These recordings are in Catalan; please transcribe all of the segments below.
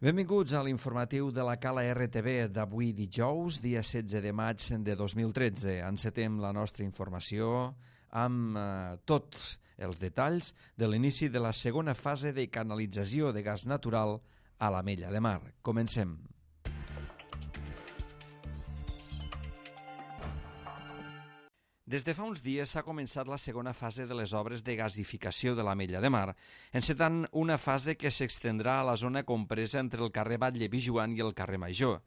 Benvinguts a l'informatiu de la Cala RTV d'avui dijous, dia 16 de maig de 2013. Encetem la nostra informació amb tots els detalls de l'inici de la segona fase de canalització de gas natural a l'Amella de Mar. Comencem. Des de fa uns dies s'ha començat la segona fase de les obres de gasificació de l'Amella de Mar, encetant una fase que s'extendrà a la zona compresa entre el carrer Batlle Pijoan i el carrer Major.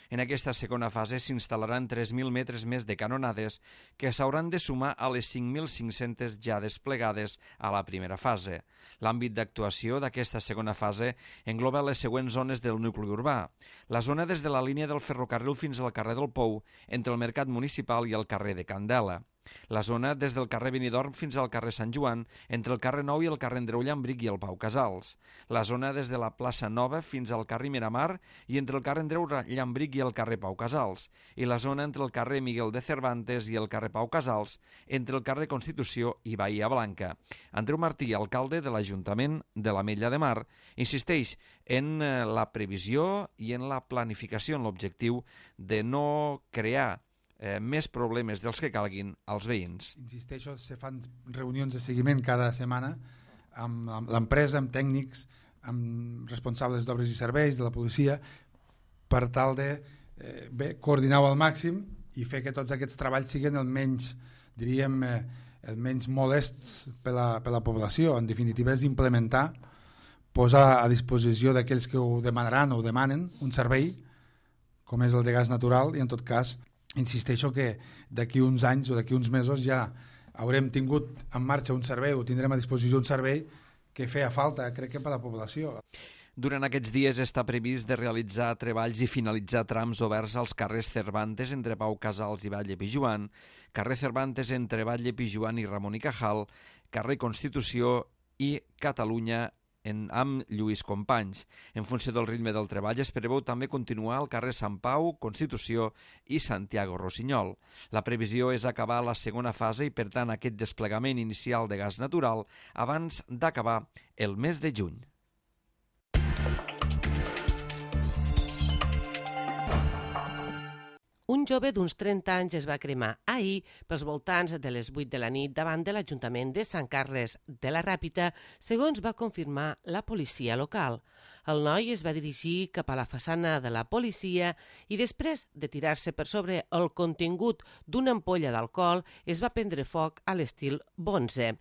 En aquesta segona fase s'instal·laran 3.000 metres més de canonades que s'hauran de sumar a les 5.500 ja desplegades a la primera fase. L'àmbit d'actuació d'aquesta segona fase engloba les següents zones del nucli urbà. La zona des de la línia del ferrocarril fins al carrer del Pou, entre el Mercat Municipal i el carrer de Candela. La zona des del carrer Benidorm fins al carrer Sant Joan, entre el carrer Nou i el carrer Andreu Llambric i el Pau Casals. La zona des de la plaça Nova fins al carrer Miramar i entre el carrer Andreu Llambric i el carrer Pau Casals. I la zona entre el carrer Miguel de Cervantes i el carrer Pau Casals, entre el carrer Constitució i Bahia Blanca. Andreu Martí, alcalde de l'Ajuntament de l'Amella de Mar, insisteix en la previsió i en la planificació, en l'objectiu de no crear més problemes dels que calguin als veïns. Insisteixo, se fan reunions de seguiment cada setmana amb l'empresa, amb tècnics, amb responsables d'obres i serveis, de la policia, per tal de coordinar-ho al màxim i fer que tots aquests treballs siguin el menys, diríem, el menys molests per la població. En definitiva, és implementar, posar a disposició d'aquells que ho demanaran o ho demanen un servei, com és el de gas natural, i en tot cas insisteixo que d'aquí uns anys o d'aquí uns mesos ja haurem tingut en marxa un servei o tindrem a disposició un servei que feia falta, crec que per a la població. Durant aquests dies està previst de realitzar treballs i finalitzar trams oberts als carrers Cervantes entre Pau Casals i Batlle Pijoan, carrer Cervantes entre Batlle Pijoan i Ramon i Cajal, carrer Constitució i Catalunya amb Lluís Companys. En funció del ritme del treball es preveu també continuar al carrer Sant Pau, Constitució i Santiago Rossinyol. La previsió és acabar la segona fase i, per tant, aquest desplegament inicial de gas natural abans d'acabar el mes de juny. Un jove d'uns 30 anys es va cremar ahir pels voltants de les 8 de la nit davant de l'Ajuntament de Sant Carles de la Ràpita, segons va confirmar la policia local. El noi es va dirigir cap a la façana de la policia i després de tirar-se per sobre el contingut d'una ampolla d'alcohol es va prendre foc a l'estil Bonze.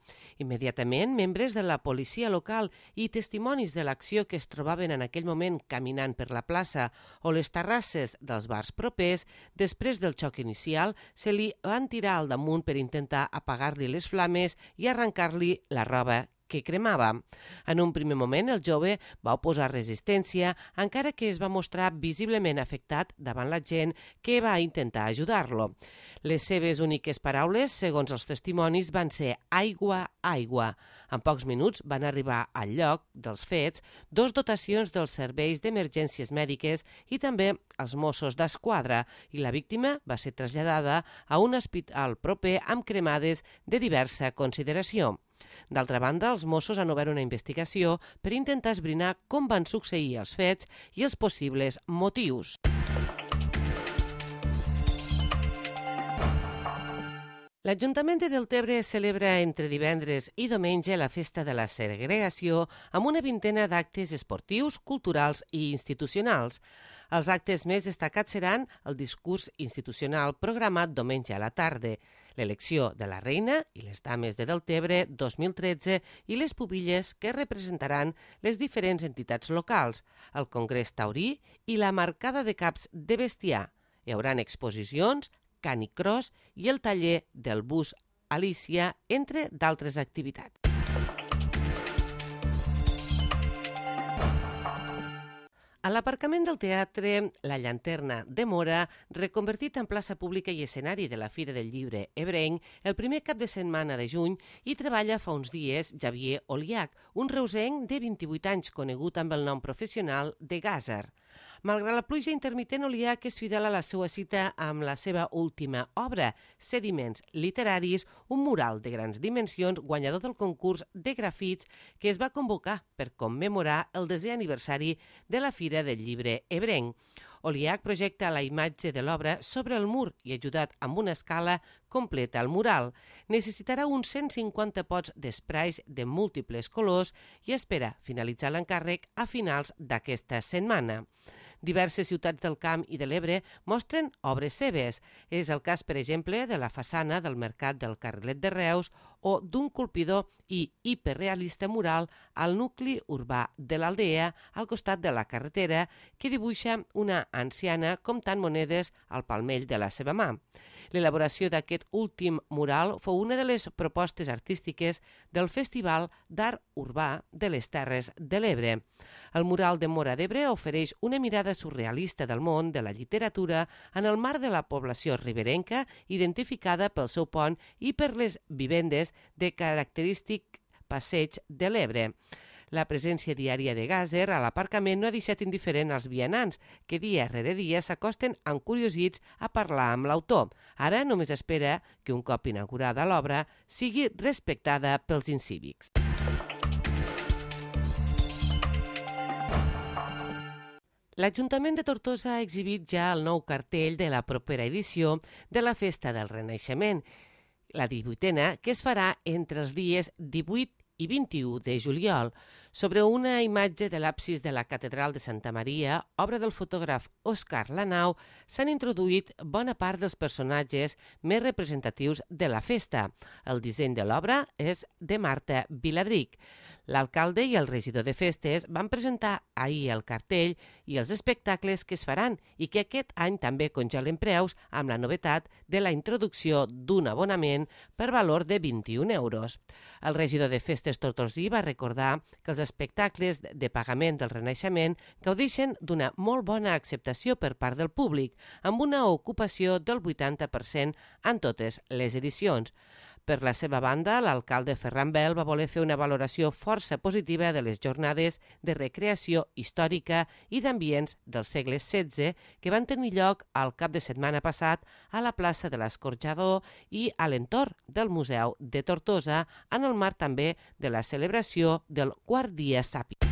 Immediatament, membres de la policia local i testimonis de l'acció que es trobaven en aquell moment caminant per la plaça o les terrasses dels bars propers, després del xoc inicial, se li van tirar al damunt per intentar apagar-li les flames i arrencar-li la roba que cremava. En un primer moment, el jove va oposar resistència, encara que es va mostrar visiblement afectat davant la gent que va intentar ajudar-lo. Les seves úniques paraules, segons els testimonis, van ser aigua, aigua. En pocs minuts van arribar al lloc dels fets 2 dotacions dels serveis d'emergències mèdiques i també els Mossos d'Esquadra, i la víctima va ser traslladada a un hospital proper amb cremades de diversa consideració. D'altra banda, els Mossos han obert una investigació per intentar esbrinar com van succeir els fets i els possibles motius. L'Ajuntament de Deltebre celebra entre divendres i diumenge la Festa de la Segregació amb una vintena d'actes esportius, culturals i institucionals. Els actes més destacats seran el discurs institucional programat diumenge a la tarda, l'elecció de la reina i les dames de Deltebre 2013 i les pubilles que representaran les diferents entitats locals, el Congrés Taurí i la marcada de caps de bestiar. Hi haurà exposicions, canicross i el taller del bus Alícia, entre d'altres activitats. A l'aparcament del teatre La Llanterna de Mora, reconvertit en plaça pública i escenari de la Fira del Llibre ebrenc, el primer cap de setmana de juny hi treballa fa uns dies Xavier Oliach, un reusenc de 28 anys conegut amb el nom professional de Gàzer. Malgrat la pluja intermitent, Oliach és fidel a la seva cita amb la seva última obra, Sediments literaris, un mural de grans dimensions guanyador del concurs de grafits que es va convocar per commemorar el 10è aniversari de la Fira del Llibre Ebrenc. Oliach projecta la imatge de l'obra sobre el mur i, ajudat amb una escala, completa el mural. Necessitarà uns 150 pots d'espraits de múltiples colors i espera finalitzar l'encàrrec a finals d'aquesta setmana. Diverses ciutats del Camp i de l'Ebre mostren obres seves. És el cas, per exemple, de la façana del Mercat del Carrilet de Reus o d'un colpidor i hiperrealista mural al nucli urbà de l'Aldea, al costat de la carretera, que dibuixa una anciana comptant monedes al palmell de la seva mà. L'elaboració d'aquest últim mural fou una de les propostes artístiques del Festival d'Art Urbà de les Terres de l'Ebre. El mural de Móra d'Ebre ofereix una mirada surrealista del món de la literatura en el marc de la població riberenca, identificada pel seu pont i per les vivendes de característic passeig de l'Ebre. La presència diària de Gàser a l'aparcament no ha deixat indiferent als vianants, que dia rere dia s'acosten encuriosits a parlar amb l'autor. Ara només espera que, un cop inaugurada l'obra, sigui respectada pels incívics. L'Ajuntament de Tortosa ha exhibit ja el nou cartell de la propera edició de la Festa del Renaixement, la 18a, que es farà entre els dies 18 i 21 de juliol. Sobre una imatge de l'absis de la Catedral de Santa Maria, obra del fotògraf Òscar Lanau, s'han introduït bona part dels personatges més representatius de la festa. El disseny de l'obra és de Marta Viladric. L'alcalde i el regidor de festes van presentar ahir el cartell i els espectacles que es faran i que aquest any també congelen preus amb la novetat de la introducció d'un abonament per valor de 21 euros. El regidor de festes tortosí va recordar que els espectacles de pagament del Renaixement gaudeixen d'una molt bona acceptació per part del públic, amb una ocupació del 80% en totes les edicions. Per la seva banda, l'alcalde Ferran Bel va voler fer una valoració força positiva de les jornades de recreació històrica i d'ambients del segle XVI que van tenir lloc al cap de setmana passat a la plaça de l'Escorxador i a l'entorn del Museu de Tortosa, en el marc també de la celebració del quart dia Sàpic.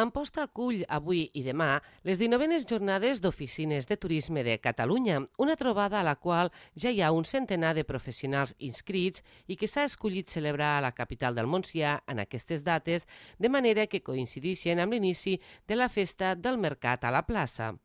Amposta acull avui i demà les 19es jornades d'oficines de turisme de Catalunya, una trobada a la qual ja hi ha un centenar de professionals inscrits i que s'ha escollit celebrar a la capital del Montsià en aquestes dates, de manera que coincideixen amb l'inici de la festa del mercat a la plaça.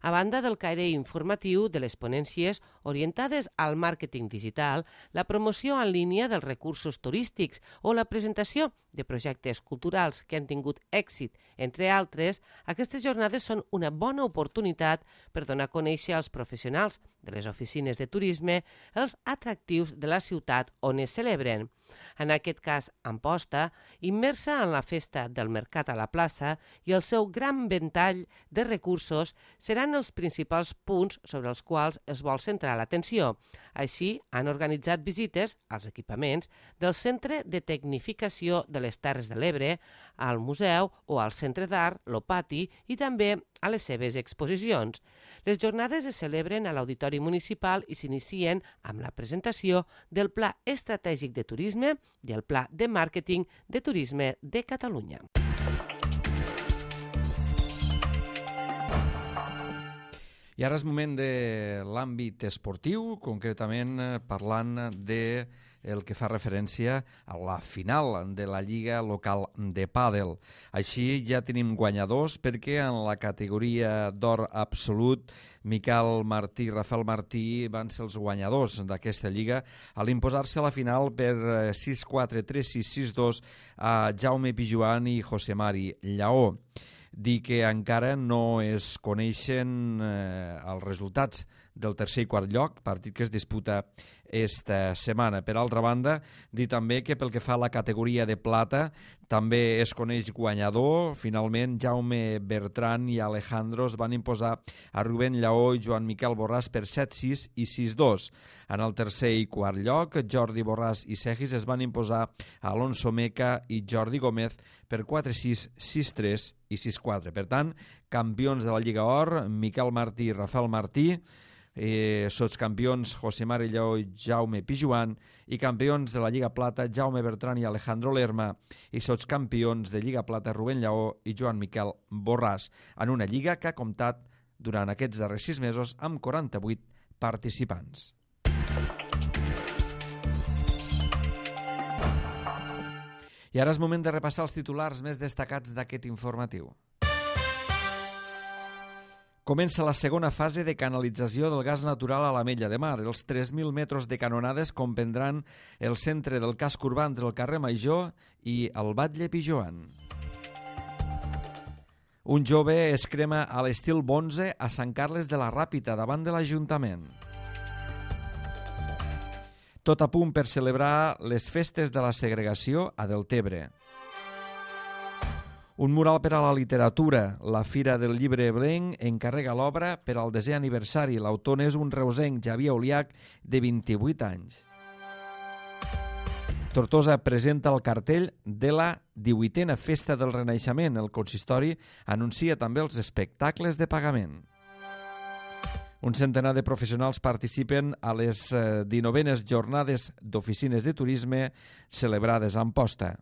A banda del caire informatiu de les ponències orientades al màrqueting digital, la promoció en línia dels recursos turístics o la presentació de projectes culturals que han tingut èxit, entre altres, aquestes jornades són una bona oportunitat per donar a conèixer als professionals de les oficines de turisme els atractius de la ciutat on es celebren. En aquest cas, Amposta, immersa en la festa del mercat a la plaça i el seu gran ventall de recursos seran els principals punts sobre els quals es vol centrar l'atenció. Així, han organitzat visites als equipaments del Centre de Tecnificació de les Terres de l'Ebre, al museu o al Centre d'Art, l'Opati i també a les seves exposicions. Les jornades es celebren a l'Auditori Municipal i s'inicien amb la presentació del Pla Estratègic de Turisme i el Pla de Màrqueting de Turisme de Catalunya. I ara és moment de l'àmbit esportiu, concretament parlant de el que fa referència a la final de la Lliga Local de Pàdel. Així ja tenim guanyadors perquè en la categoria d'or absolut Miquel Martí i Rafael Martí van ser els guanyadors d'aquesta lliga a l'imposar-se a la final per 6-4, 3-6, 6-2 a Jaume Pijuan i José Mari Lleó. Dir que encara no es coneixen els resultats del tercer i quart lloc, partit que es disputa esta setmana. Per altra banda, dir també que pel que fa a la categoria de plata també es coneix guanyador. Finalment, Jaume Bertran i Alejandro es van imposar a Rubén Lleó i Joan Miquel Borràs per 7-6 i 6-2. En el tercer i quart lloc, Jordi Borràs i Segis es van imposar a Alonso Meca i Jordi Gómez per 4-6, 6-3 i 6-4. Per tant, campions de la Lliga Or, Miquel Martí i Rafael Martí, sotscampions José Mari Lleó i Jaume Pijuan, i campions de la Lliga Plata Jaume Bertran i Alejandro Lerma, i sotscampions de Lliga Plata Rubén Lleó i Joan Miquel Borràs, en una lliga que ha comptat durant aquests darrers 6 mesos amb 48 participants. I ara és moment de repassar els titulars més destacats d'aquest informatiu. Comença la segona fase de canalització del gas natural a l'Ametlla de Mar. Els 3.000 metres de canonades comprendran el centre del casc urbà entre el carrer Major i el Batlle Pijoan. Un jove es crema a l'estil Bonze a Sant Carles de la Ràpita, davant de l'Ajuntament. Tot a punt per celebrar les festes de la segregació a Deltebre. Un mural per a la literatura. La Fira del Llibre Eblenc encarrega l'obra per al 10è aniversari. L'autor és un reusenc, Xavier Oliach, de 28 anys. Tortosa presenta el cartell de la 18a Festa del Renaixement. El consistori anuncia també els espectacles de pagament. Un centenar de professionals participen a les 19enes jornades d'oficines de turisme celebrades a Amposta.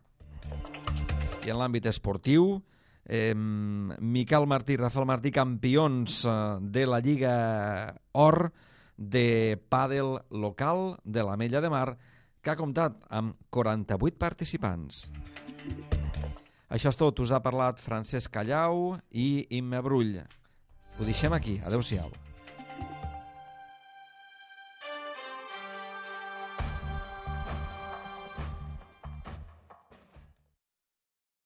I en l'àmbit esportiu, Miquel Martí i Rafael Martí, campions de la Lliga Or de pàdel local de l'Ametlla de Mar, que ha comptat amb 48 participants. Això és tot. Us ha parlat Francesc Callau i Imma Brull. Ho deixem aquí. Adéu-siau.